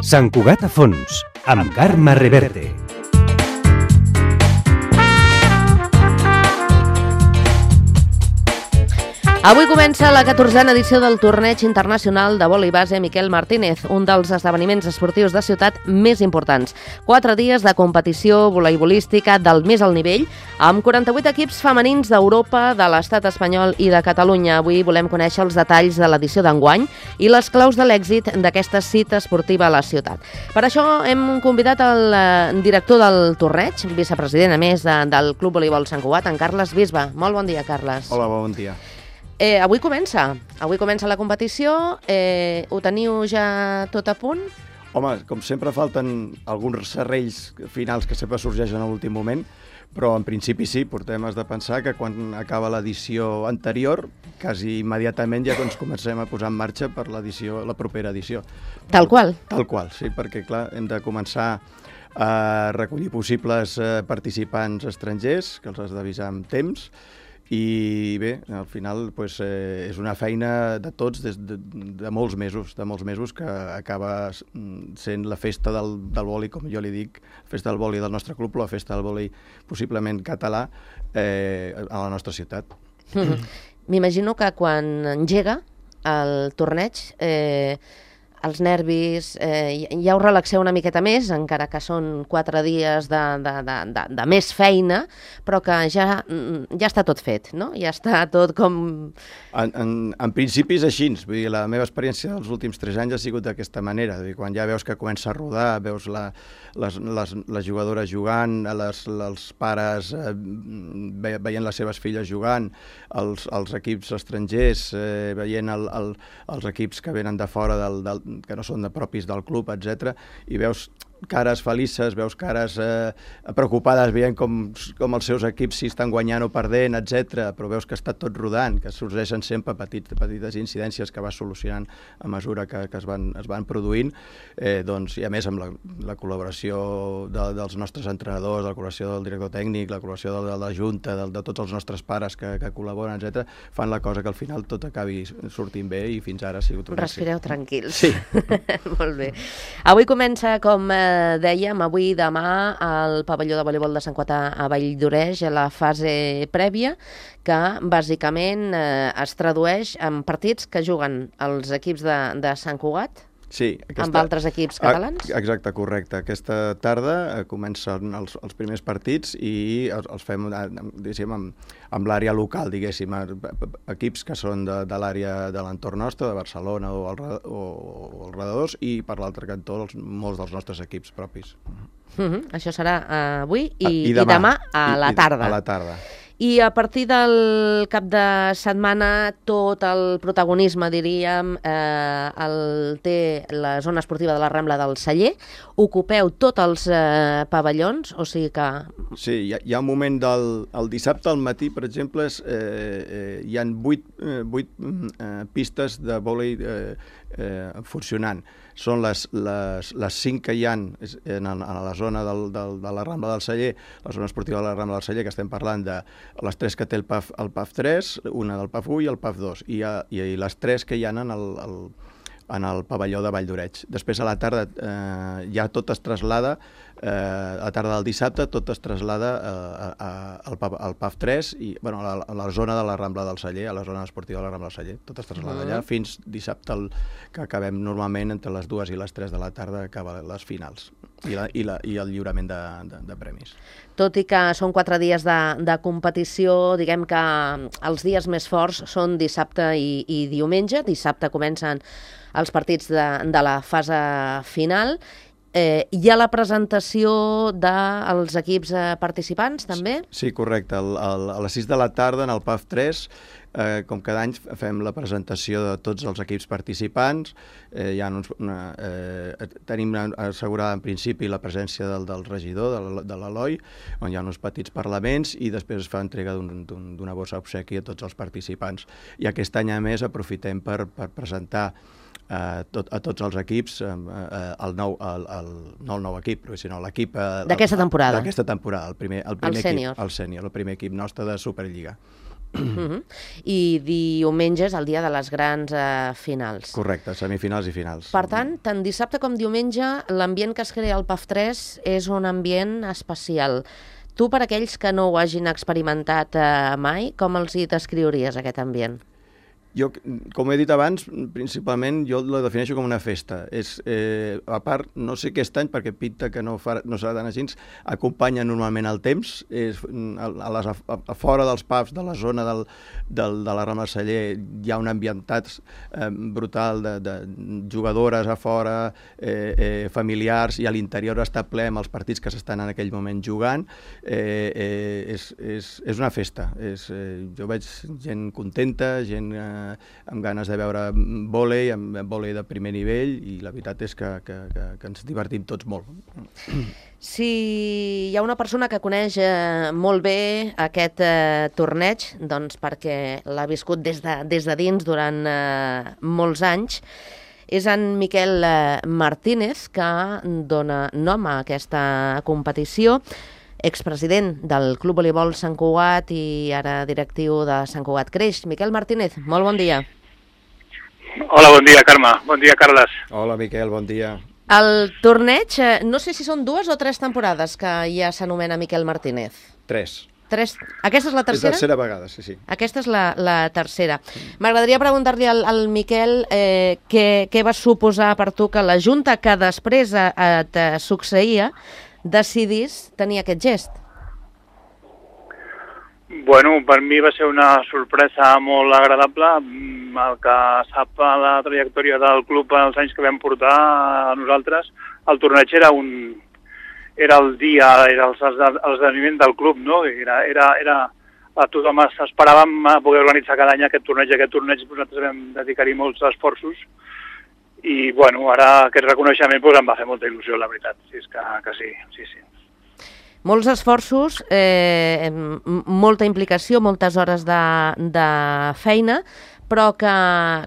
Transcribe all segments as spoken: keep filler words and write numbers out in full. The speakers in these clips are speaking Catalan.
Sant Cugat a fons, amb Carme Reverte. Avui comença la catorzena edició del Torneig Internacional de Vòlei Base Miquel Martínez, un dels esdeveniments esportius de ciutat més importants. Quatre dies de competició voleibolística del més alt nivell, amb quaranta-vuit equips femenins d'Europa, de l'estat espanyol i de Catalunya. Avui volem conèixer els detalls de l'edició d'enguany i les claus de l'èxit d'aquesta cita esportiva a la ciutat. Per això hem convidat el director del torneig, vicepresident a més de, del Club Voleibol Sant Cugat, en Carles Bisbe. Molt bon dia, Carles. Hola, bon dia. Eh, avui comença, avui comença la competició, eh, ho teniu ja tot a punt? Home, com sempre falten alguns serrells finals que sempre sorgeixen a l'últim moment, però en principi sí, portem has de pensar que quan acaba l'edició anterior, quasi immediatament ja ens comencem a posar en marxa per l'edició, la propera edició. Tal qual? Tal qual, sí, perquè clar, hem de començar a recollir possibles participants estrangers, que els has d'avisar amb temps, i bé, al final pues, eh, és una feina de tots des de, de molts mesos, de molts mesos que acaba sent la festa del, del vòlei, com jo li dic, la festa del vòlei del nostre club, la festa del vòlei possiblement català eh, a la nostra ciutat. Mm-hmm. M'imagino que quan engega el torneig eh, els nervis, eh, ja us relaxeu una miqueta més, encara que són quatre dies de, de, de, de, de més feina, però que ja, ja està tot fet, no? Ja està tot com... En, en, en principi és així, vull dir, la meva experiència dels últims tres anys ha sigut d'aquesta manera, dir, quan ja veus que comença a rodar, veus la, les, les, les jugadores jugant, les, els pares eh, veient les seves filles jugant, els, els equips estrangers eh, veient el, el, els equips que venen de fora del, del que no són de propis del club, etcètera, i veus cares felices, veus cares eh, preocupades, veient com, com els seus equips si estan guanyant o perdent, etcètera, però veus que està tot rodant, que sorgeixen sempre petit, petites incidències que vas solucionant a mesura que, que es, van, es van produint, eh, doncs, i a més amb la, la col·laboració de, dels nostres entrenadors, la col·laboració del director tècnic, la col·laboració de, de la Junta, de, de tots els nostres pares que, que col·laboren, etcètera, fan la cosa que al final tot acabi sortint bé i fins ara ha sigut un Respireu èxit. Tranquils. Sí. Molt bé. Avui comença, com eh, dèiem, avui i demà al pavelló de voleibol de Sant Cugat a Valldoreix, la fase prèvia, que bàsicament eh, es tradueix en partits que juguen els equips de, de Sant Cugat, sí, aquesta... amb altres equips catalans? Exacte, correcte. Aquesta tarda eh, comencen els, els primers partits i els, els fem diguéssim, amb, amb l'àrea local, diguéssim, equips que són de, de l'àrea de l'entorn nostre, de Barcelona o, el, o, o els redadors, i per l'altre cantó els, molts dels nostres equips propis. Uh-huh. Això serà uh, avui i, I, demà, i demà a i, la tarda. A la tarda. I a partir del cap de setmana tot el protagonisme, diríem, eh, el té la zona esportiva de la Rambla del Celler. Ocupeu tots els eh, pavellons, o sigui que... Sí, hi ha, hi ha un moment del el dissabte al matí, per exemple, és, eh, eh, hi ha vuit, eh, vuit eh, pistes de vòlei eh, eh, funcionant. Són les, les, les cinc que hi ha en, en, en la zona del, del, de la Rambla del Celler, la zona esportiva de la Rambla del Celler, que estem parlant de les tres que té el P A F, el P A F tres, una del P A F u i el P A F dos, i, i, i les tres que hi ha en el, el, en el pavelló de Valldoreix. Després a la tarda eh, ja tot es traslada, eh, a la tarda del dissabte tot es traslada eh, a, al, al P A F tres i bueno, a, la, a la zona de la Rambla del Celler, a la zona esportiva de la Rambla del Celler. Tot es traslada uh-huh. allà fins dissabte, el, que acabem normalment entre les dues i les tres de la tarda, acaba les finals i, la, i, la, i el lliurament de, de, de premis. Tot i que són quatre dies de, de competició, diguem que els dies més forts són dissabte i, i diumenge. Dissabte comencen els partits de, de la fase final. Eh, hi ha la presentació dels equips eh, participants, també? Sí, correcte. El, el, a les sis de la tarda, en el P A F tres, eh, com cada any fem la presentació de tots els equips participants. Eh, hi ha uns, una, eh, tenim assegurada en principi la presència del, del regidor, de l'Eloi, on hi ha uns petits parlaments, i després es fa entrega d'una un, un, bossa obsequi a tots els participants. I aquest any, a més, aprofitem per, per presentar Uh, tot, a tots els equips, uh, uh, el nou, el, el, no el nou equip, sinó l'equip... Uh, d'aquesta temporada. D'aquesta temporada, el primer, el primer el sènior. Equip, el sènior, el primer equip nostre de Superliga. Uh-huh. I diumenge és el dia de les grans eh, finals. Correcte, semifinals i finals. Per tant, tant dissabte com diumenge, l'ambient que es crea al P A F tres és un ambient especial. Tu, per aquells que no ho hagin experimentat eh, mai, com els hi descriuries aquest ambient? Jo, com he dit abans, principalment jo la defineixo com una festa. És, eh, a part, no sé aquest any, perquè pinta que no, fa, no serà tan així, acompanya normalment el temps. És, a, a, les, a, a fora dels pubs, de la zona del, del, de la Rambla Celler, hi ha un ambientat eh, brutal de, de jugadores a fora, eh, eh, familiars, i a l'interior està ple amb els partits que s'estan en aquell moment jugant. Eh, eh, és, és, és una festa. És, eh, jo veig gent contenta, gent... Eh, amb ganes de veure vòlei, amb vòlei de primer nivell, i la veritat és que, que, que, que ens divertim tots molt. Si hi ha una persona que coneix eh, molt bé aquest eh, torneig, doncs perquè l'ha viscut des de, des de dins durant eh, molts anys, és en Miquel eh, Martínez, que dona nom a aquesta competició, expresident del Club Voleibol Sant Cugat i ara directiu de Sant Cugat Creix. Miquel Martínez, molt bon dia. Hola, bon dia, Carme. Bon dia, Carles. Hola, Miquel, bon dia. El torneig, no sé si són dues o tres temporades que ja s'anomena Miquel Martínez. Tres. Tres. Aquesta és la tercera? És la tercera vegada, sí, sí. Aquesta és la, la tercera. M'agradaria preguntar-li al, al Miquel eh, què, què va suposar per tu que la junta que després eh, et succeïa decidís tenir aquest gest. Bueno, per mi va ser una sorpresa molt agradable. El que sap la trajectòria del club els anys que vam portar a nosaltres, el torneig era un era el dia, era l'esdeveniment del club, no? Era, era, era, a tothom esperàvem poder organitzar cada any aquest torneig. Aquest torneig nosaltres vam dedicar-hi molts esforços i, bueno, ara aquest reconeixement pues, em va fer molta il·lusió, la veritat. Sí, és que, que sí, sí, sí. Molts esforços, eh, molta implicació, moltes hores de, de feina, però que,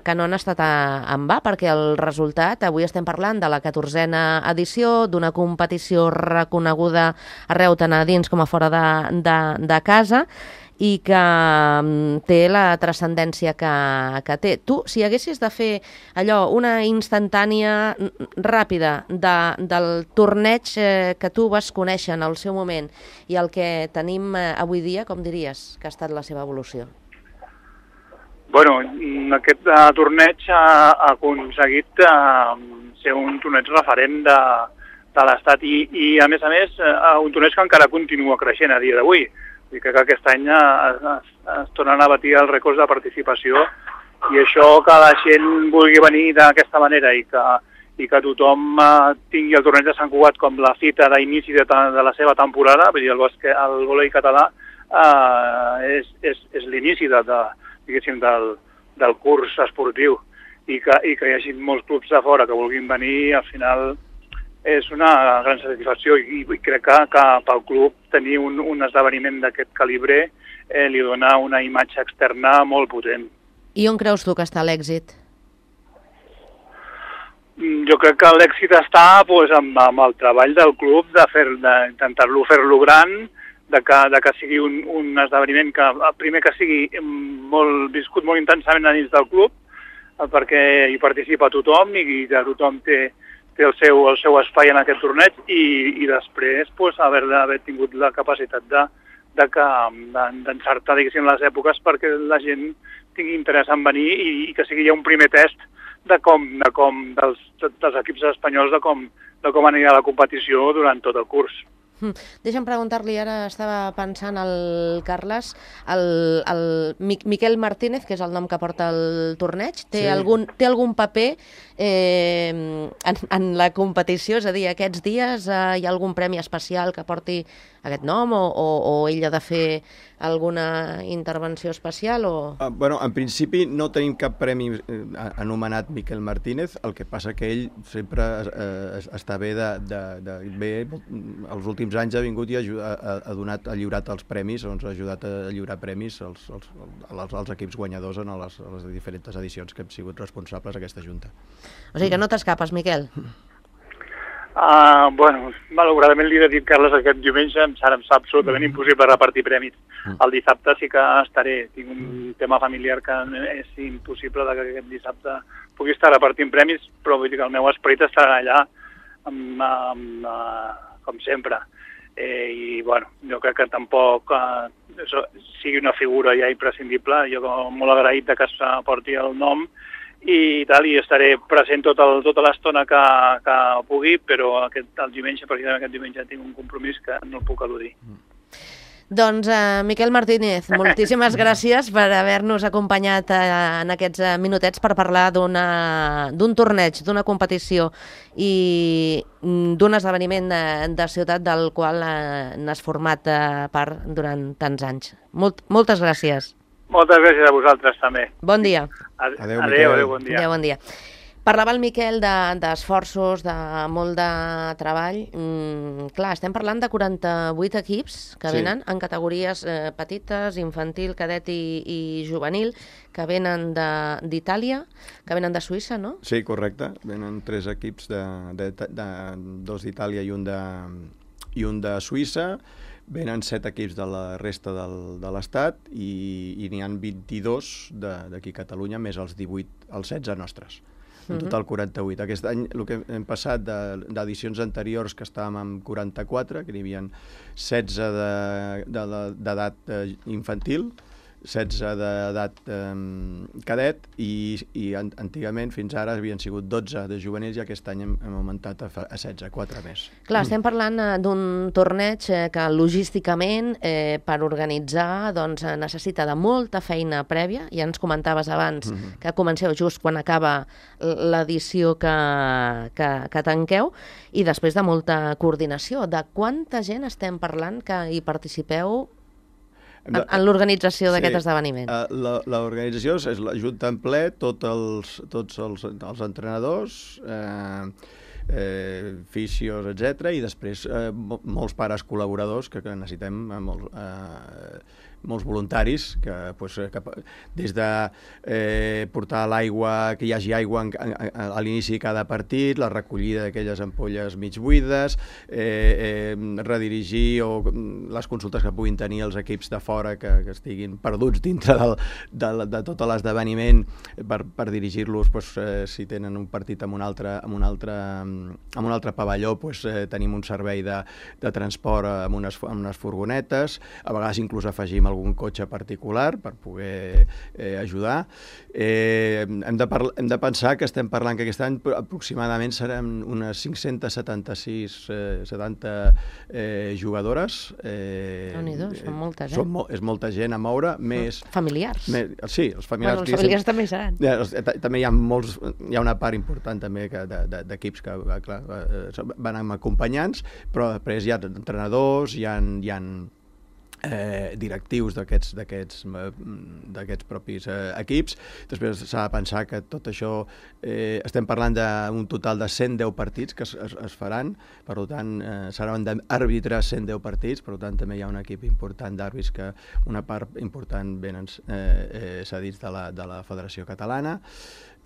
que no han estat en va, perquè el resultat, avui estem parlant de la catorzena edició, d'una competició reconeguda arreu tant a dins com a fora de, de, de casa, i que té la transcendència que, que té. Tu, si haguessis de fer allò, una instantània ràpida de, del torneig eh, que tu vas conèixer en el seu moment i el que tenim eh, avui dia, com diries que ha estat la seva evolució? Bueno, aquest uh, torneig ha, ha aconseguit uh, ser un torneig referent de, de l'Estat i, i, a més a més, uh, un torneig que encara continua creixent a dia d'avui. I crec que aquest any es, es, es tornen a batir els rècords de participació i això que la gent vulgui venir d'aquesta manera i que, i que tothom uh, tingui el torneig de Sant Cugat com la cita d'inici de, de la seva temporada, vull dir, el, bosque, el vòlei català uh, és, és, és l'inici de, de, diguéssim, del, del curs esportiu i que, i que hi hagi molts clubs de fora que vulguin venir, al final és una gran satisfacció i, i crec que, que pel club tenir un, un esdeveniment d'aquest calibre eh, li dona una imatge externa molt potent. I on creus tu que està l'èxit? Jo crec que l'èxit està pues, amb, amb el treball del club de fer, d'intentar-lo fer-lo gran, de que, de que sigui un, un esdeveniment que, primer que sigui molt viscut molt intensament a dins del club, perquè hi participa tothom i, i de tothom té té el seu, el seu espai en aquest torneig i, i després pues, haver, haver tingut la capacitat de, de que, d'encertar diguéssim, les èpoques perquè la gent tingui interès en venir i, i que sigui ja un primer test de com, de com dels, dels equips espanyols de com, de com anirà la competició durant tot el curs. Deixa'm preguntar-li, ara estava pensant el Carles, el, el Miquel Martínez, que és el nom que porta el torneig, té, sí. algun, té algun paper eh, en, en la competició? És a dir, aquests dies eh, hi ha algun premi especial que porti aquest nom o, o, o ell ha de fer alguna intervenció especial? O... Uh, bueno, en principi no tenim cap premi eh, anomenat Miquel Martínez, el que passa que ell sempre eh, està bé de, de, de bé, els últims anys ha vingut i ha, ha, ha, donat, ha lliurat els premis, doncs ha ajudat a lliurar premis als, als, als, als equips guanyadors en les, les diferents edicions que hem sigut responsables d'aquesta junta. O sigui que no t'escapes, Miquel? Uh, bueno, malauradament li he de dir, Carles, aquest diumenge em serà absolutament impossible repartir premis. El dissabte sí que estaré. Tinc un tema familiar que és impossible que aquest dissabte pugui estar repartint premis, però vull dir que el meu esperit estarà allà amb, amb, uh, com sempre. Eh, I, bueno, jo crec que tampoc uh, això sigui una figura ja imprescindible. Jo molt agraït de que es porti el nom i tal, i estaré present tot el, tota l'estona que, que pugui, però aquest, el diumenge, precisament aquest diumenge, tinc un compromís que no el puc eludir. Doncs, uh, Miquel Martínez, moltíssimes gràcies per haver-nos acompanyat uh, en aquests uh, minutets per parlar d'un torneig, d'una competició i d'un esdeveniment de, de ciutat del qual uh, n'has format uh, part durant tants anys. Molt, moltes gràcies. Moltes gràcies a vosaltres també. Bon dia. Adéu, adéu, adéu, bon dia. Adéu, bon dia. Parlava el Miquel d'esforços, de, de molt de treball. Mm, clar, estem parlant de quaranta-vuit equips que venen sí. en categories eh, petites, infantil, cadet i, i juvenil, que venen d'Itàlia, que venen de Suïssa, no? Sí, correcte. Venen tres equips, de, de, de, de, dos d'Itàlia i un de, i un de Suïssa. Venen set equips de la resta del, de l'Estat i, i n'hi ha vint-i-dos d'aquí a Catalunya, més els divuit, els setze nostres. En total quaranta-vuit. Aquest any el que hem passat d'edicions anteriors, que estàvem amb quaranta-quatre, que n'hi havia setze d'edat infantil, setze d'edat eh, cadet i, i antigament fins ara havien sigut dotze de juvenils i aquest any hem, hem augmentat a, a setze, quatre més. Clar, estem parlant eh, d'un torneig eh, que logísticament eh, per organitzar doncs, necessita de molta feina prèvia. Ja ens comentaves abans mm-hmm. que comenceu just quan acaba l'edició que, que, que tanqueu i després de molta coordinació. De quanta gent estem parlant que hi participeu en, en l'organització d'aquest sí, esdeveniment? Uh, l'organització és la junta en ple, tot els, tots els, els entrenadors, eh, eh, fisios, etcètera, i després eh, molts pares col·laboradors que, que necessitem molt, eh, molts voluntaris que, pues, que des de eh, portar l'aigua, que hi hagi aigua en, en, a l'inici de cada partit, la recollida d'aquelles ampolles mig buides, eh, eh, redirigir o les consultes que puguin tenir els equips de fora que, que estiguin perduts dintre del, de, de tot l'esdeveniment per, per dirigir-los, pues, eh, si tenen un partit en un altre, en un altre, en un altre pavelló, pues, eh, tenim un servei de, de transport amb unes, amb unes furgonetes, a vegades inclús afegim algun cotxe particular per poder eh, ajudar. Eh, hem, de hem de pensar que estem parlant que aquest any aproximadament seran unes cinc-centes setanta-sis eh, setanta eh, jugadores. Eh, Déu-n'hi-do, són moltes, eh? Són mo és molta gent a moure, més... Familiars. Més, sí, els familiars. Bueno, els familiars també hi seran. Eh, també hi ha molts, hi ha una part important també d'equips que, clar, van amb acompanyants, però després hi ha entrenadors, hi ha, hi ha Eh, directius d'aquests d'aquests propis eh, equips. Després s'ha de pensar que tot això eh, estem parlant d'un total de cent deu partits que es, es, es faran, per tant eh, seran d'àrbitres cent deu partits, per tant també hi ha un equip important d'àrbits que una part important venen eh, eh, cedits de la, de la Federació Catalana.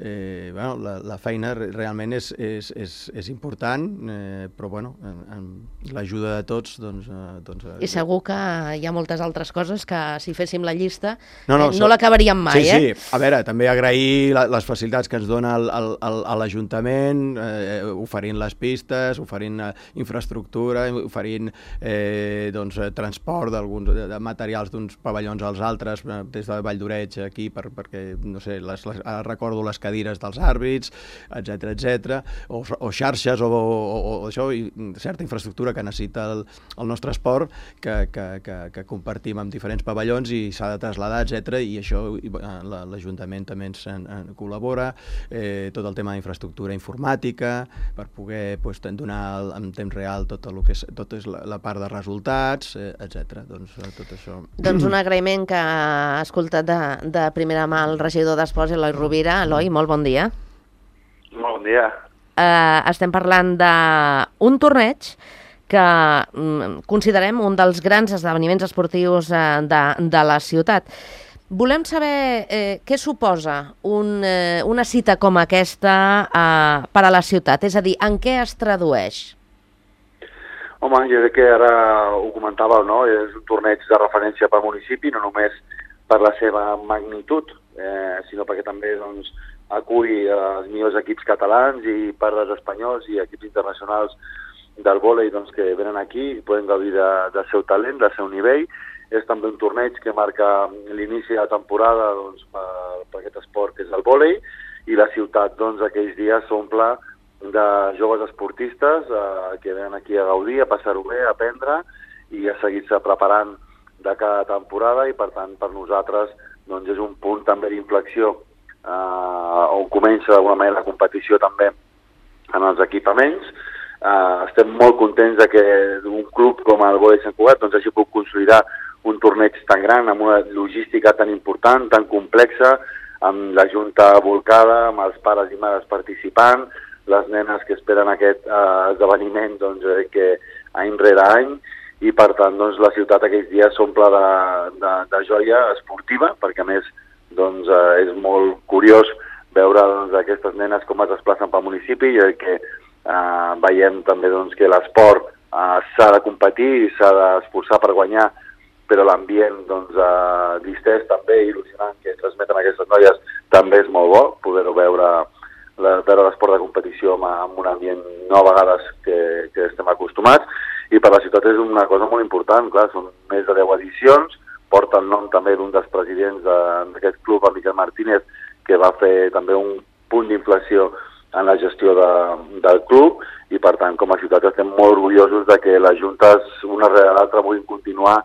Eh, bueno, la, la feina realment és, és, és, és important, eh, però bueno, amb l'ajuda de tots doncs, eh, doncs, i segur que hi ha moltes altres coses que si féssim la llista no, no, eh, no l'acabaríem mai. Sí, eh? sí, a veure, també agrair la, les facilitats que ens dona el, el, el, l'Ajuntament, eh, oferint les pistes, oferint eh, infraestructura, oferint eh, doncs, transport d'alguns de, de materials d'uns pavellons als altres, eh, des de Vall d'Oreig aquí, per, perquè, no sé, les, les, recordo les cadires dels àrbits, etcètera, etcètera, o, o xarxes o, o, o això, i certa infraestructura que necessita el, el nostre esport que, que, que, que compartim amb diferents pavellons i s'ha de traslladar, etcètera, i això l'Ajuntament també ens en, en col·labora, eh, tot el tema d'infraestructura informàtica, per poder pues, donar en temps real tot el que és, tot és la, la part de resultats, eh, etcètera. Doncs tot això. Doncs un agraïment que ha escoltat de, de primera mà el regidor d'Esports, Eloi Rovira. Eloi, molt bon dia. Molt bon dia. Uh, estem parlant d'un torneig que um, considerem un dels grans esdeveniments esportius uh, de, de la ciutat. Volem saber eh, què suposa un, eh, una cita com aquesta uh, per a la ciutat, és a dir, en què es tradueix? Home, jo crec que ara ho comentàveu, no? És un torneig de referència pel municipi, no només per la seva magnitud, eh, sinó perquè també doncs, acull els millors equips catalans i per als espanyols i equips internacionals del vòlei doncs, que venen aquí i poden gaudir de, del seu talent, del seu nivell. És també un torneig que marca l'inici de la temporada doncs, per, per aquest esport que és el vòlei, i la ciutat doncs, aquells dies s'omple de joves esportistes eh, que venen aquí a gaudir, a passar-ho bé, a aprendre i a seguir-se preparant de cada temporada, i per tant per nosaltres doncs, és un punt també d'inflexió eh, on comença d'alguna manera la competició també en els equipaments. Eh, estem molt contents de que un club com el Vòlei Sant Cugat doncs, hagi pogut consolidar un torneig tan gran, amb una logística tan important, tan complexa, amb la junta volcada, amb els pares i mares participant, les nenes que esperen aquest eh, esdeveniment doncs, eh, que any rere any, i per tant doncs, la ciutat aquells dies s'omple de, de, de joia esportiva, perquè a més doncs, eh, és molt curiós veure doncs, aquestes nenes com es desplacen pel municipi, i que eh, veiem també doncs, que l'esport eh, s'ha de competir i s'ha d'esforçar per guanyar, però l'ambient doncs, eh, distès també, il·lusionant, que transmeten aquestes noies, també és molt bo poder-ho veure, la, veure l'esport de competició amb, amb un ambient no a vegades que, que estem acostumats, i per la ciutat és una cosa molt important, clar, són més de deu edicions, porta el nom també d'un dels presidents d'aquest club, el Miquel Martínez, que va fer també un punt d'inflació en la gestió de, del club, i per tant com a ciutat estem molt orgullosos de que les juntes una rere l'altra vulguin continuar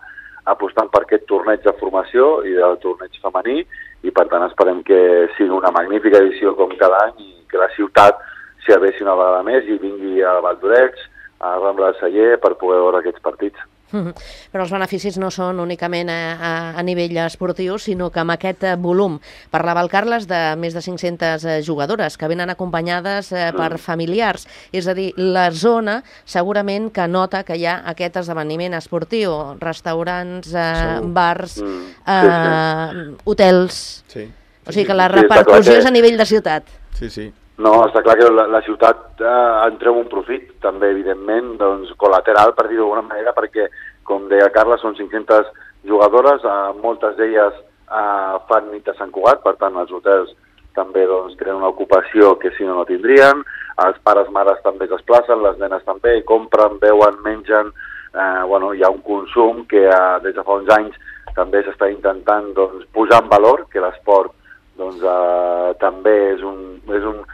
apostant per aquest torneig de formació i del torneig femení, i per tant esperem que sigui una magnífica edició com cada any i que la ciutat s'hi aveci una vegada més i vingui a Valldoreix, a Rambla de Celler, per poder veure aquests partits. Mm-hmm. Però els beneficis no són únicament a, a, a nivell esportiu, sinó que amb aquest volum, parlava el Carles de més de cinc-centes jugadores que venen acompanyades eh, per familiars, és a dir, la zona segurament que nota que hi ha aquest esdeveniment esportiu, restaurants, eh, bars, Mm. eh, Sí, sí. hotels, Sí, o sigui que la Sí, està clar repercussió que- és a nivell de ciutat. sí, sí. No, està clar que la, la ciutat eh, en treu un profit, també, evidentment, doncs, col·lateral, per dir-ho d'alguna manera, perquè, com deia Carles, són cinc-centes jugadores, eh, moltes d'elles eh, fan nit a Sant Cugat, per tant, els hotels també doncs, tenen una ocupació que si no no tindrien, els pares mares també es desplacen, les nenes també, compren, beuen, mengen, eh, bueno, hi ha un consum que eh, des de fa uns anys també s'està intentant doncs, posar en valor, que l'esport doncs, eh, també és un, és un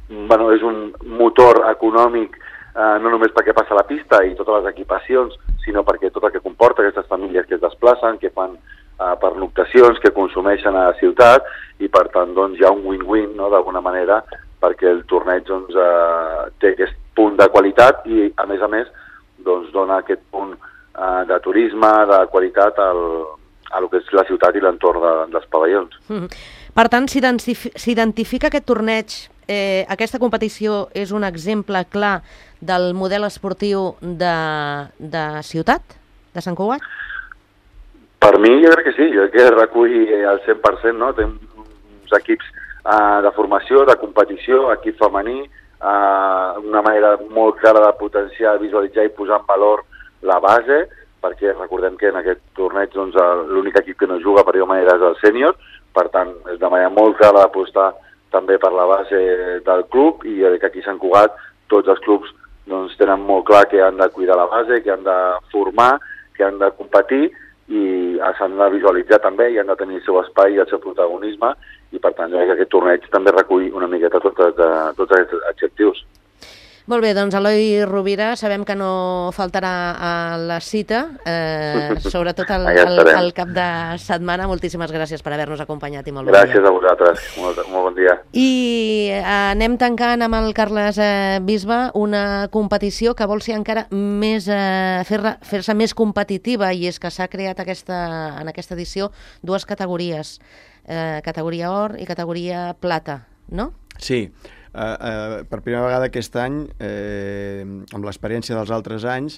Bueno, és un motor econòmic eh, no només perquè passa la pista i totes les equipacions, sinó perquè tot el que comporta aquestes famílies que es desplacen, que fan eh, pernoctacions, que consumeixen a la ciutat, i per tant doncs, hi ha un win-win, no?, d'alguna manera, perquè el torneig doncs, eh, té aquest punt de qualitat i, a més a més, doncs, dona aquest punt eh, de turisme, de qualitat al, a lo que és la ciutat i l'entorn de, dels pavellons. Mm. Per tant, s'identifica aquest torneig, eh, aquesta competició és un exemple clar del model esportiu de, de ciutat, de Sant Cugat? Per mi jo crec que sí, jo crec que recull el cent per cent, no? Tenim uns equips eh, de formació, de competició, equip femení, eh, una manera molt clara de potenciar, visualitzar i posar en valor la base, perquè recordem que en aquest torneig doncs, l'únic equip que no juga per dir-ho manera és el sènior, per tant és de manera molt clara d'apostar també per la base del club, i que aquí a Sant Cugat tots els clubs doncs, tenen molt clar que han de cuidar la base, que han de formar, que han de competir, i s'han de visualitzar també, i han de tenir el seu espai i el seu protagonisme, i per tant jo crec que aquest torneig també recull una miqueta tots, tots aquests adjectius. Molt bé, doncs Eloi Rovira, sabem que no faltarà a la cita, eh, sobretot al, al, al cap de setmana. Moltíssimes gràcies per haver-nos acompanyat i molt bon dia. Gràcies a vosaltres, molt, molt bon dia. I anem tancant amb el Carles eh, Bisbe una competició que vol ser encara més, eh, fer-se fer més competitiva, i és que s'ha creat aquesta, en aquesta edició dues categories, eh, categoria or i categoria plata, no? Sí. Uh, uh, per primera vegada aquest any, eh, amb l'experiència dels altres anys,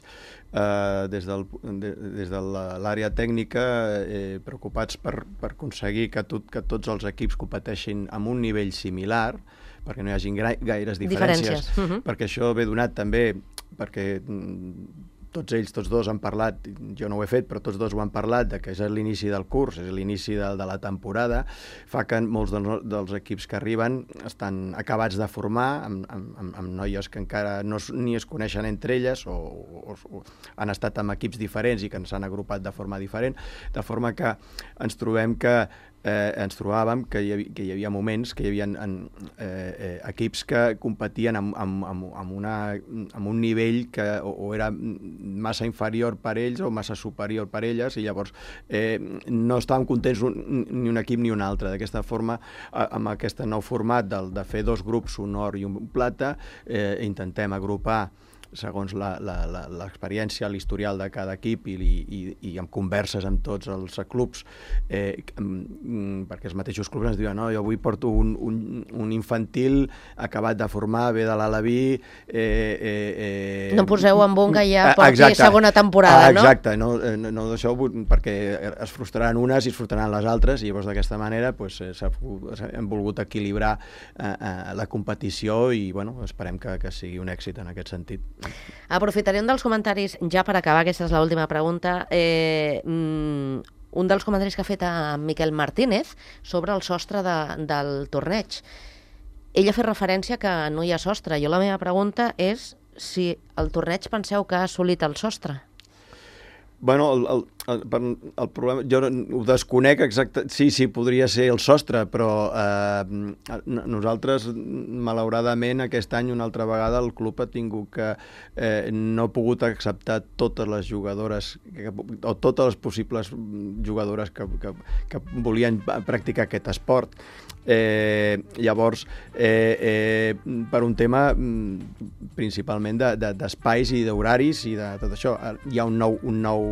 uh, des, del, de, des de l'àrea tècnica, eh, preocupats per, per aconseguir que, tot, que tots els equips competeixin amb un nivell similar, perquè no hi hagi gaires diferències, diferències. Uh-huh. Perquè això ve donat també perquè tots ells, tots dos han parlat, jo no ho he fet, però tots dos ho han parlat, de que és l'inici del curs, és l'inici de, de la temporada, fa que molts dels, dels equips que arriben estan acabats de formar, amb, amb, amb noies que encara no, ni es coneixen entre elles, o, o, o han estat amb equips diferents i que s'han agrupat de forma diferent, de forma que ens trobem que Eh, ens trobàvem que hi havia, que hi havia moments que hi havia en, eh, eh, equips que competien amb, amb, amb, amb, una, amb un nivell que o, o era massa inferior per ells o massa superior per elles, i llavors eh, no estàvem contents un, ni un equip ni un altre. D'aquesta forma, amb aquest nou format del, de fer dos grups, un or i un plata, eh, intentem agrupar segons l'experiència, l'historial de cada equip i, i, i amb converses amb tots els clubs, eh, perquè els mateixos clubs ens diuen no, jo avui porto un, un, un infantil acabat de formar, ve de l'Alaví... Eh, eh, eh, no poseu en bon que ja porti exacte, segona temporada, no? Exacte, no, no, no d'això, perquè es frustraran unes i es frustraran les altres, i llavors d'aquesta manera pues, hem volgut equilibrar eh, eh, la competició i bueno, esperem que, que sigui un èxit en aquest sentit. Aprofitaré un dels comentaris, ja per acabar, aquesta és l'última pregunta, eh, un dels comentaris que ha fet a Miquel Martínez sobre el sostre de, del torneig. Ell ha fet referència que no hi ha sostre. Jo la meva pregunta és si el torneig penseu que ha assolit el sostre. Bueno, el, el, el, el problema, jo ho desconec exacte, sí, sí, podria ser el sostre, però eh, nosaltres, malauradament, aquest any una altra vegada el club ha tingut que eh, no ha pogut acceptar totes les jugadores, que, o totes les possibles jugadores que, que, que volien practicar aquest esport. Eh, llavors, eh, eh, per un tema principalment d'espais de, de, i d'horaris i de tot això, hi ha un nou, un nou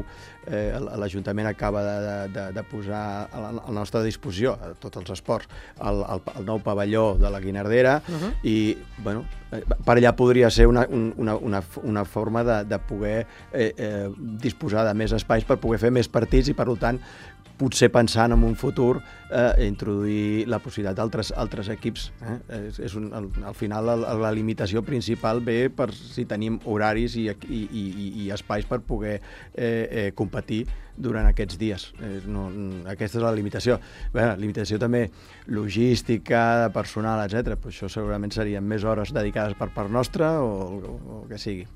eh, l'Ajuntament acaba de, de, de posar a la, a la nostra disposició, a tots els esports, el, el, el nou pavelló de la Guinardera, uh-huh. i bueno, per allà podria ser una, una, una, una forma de, de poder eh, eh, disposar de més espais per poder fer més partits i, per tant, potser pensant en un futur eh, introduir la possibilitat d'altres altres equips. Eh? És, és un, al, al final la, la limitació principal ve per si tenim horaris i, i, i, i espais per poder eh, eh, competir durant aquests dies. Eh, no, aquesta és la limitació. Bé, la limitació també logística, personal, etcètera. Però això segurament serien més hores dedicades per part nostra o, o, o que sigui.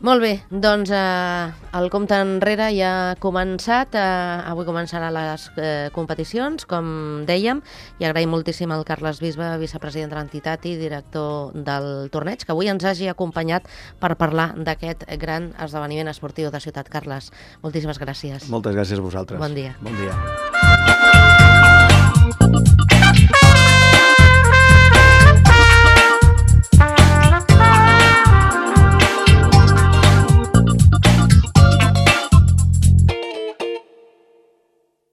Molt bé, doncs eh, el compte enrere ja ha començat. Eh, avui començarà les eh, competicions, com dèiem, i agraïm moltíssim al Carles Bisbe, vicepresident de l'entitat i director del torneig, que avui ens hagi acompanyat per parlar d'aquest gran esdeveniment esportiu de Ciutat. Carles, moltíssimes gràcies. Moltes gràcies a vosaltres. Bon dia. Bon dia.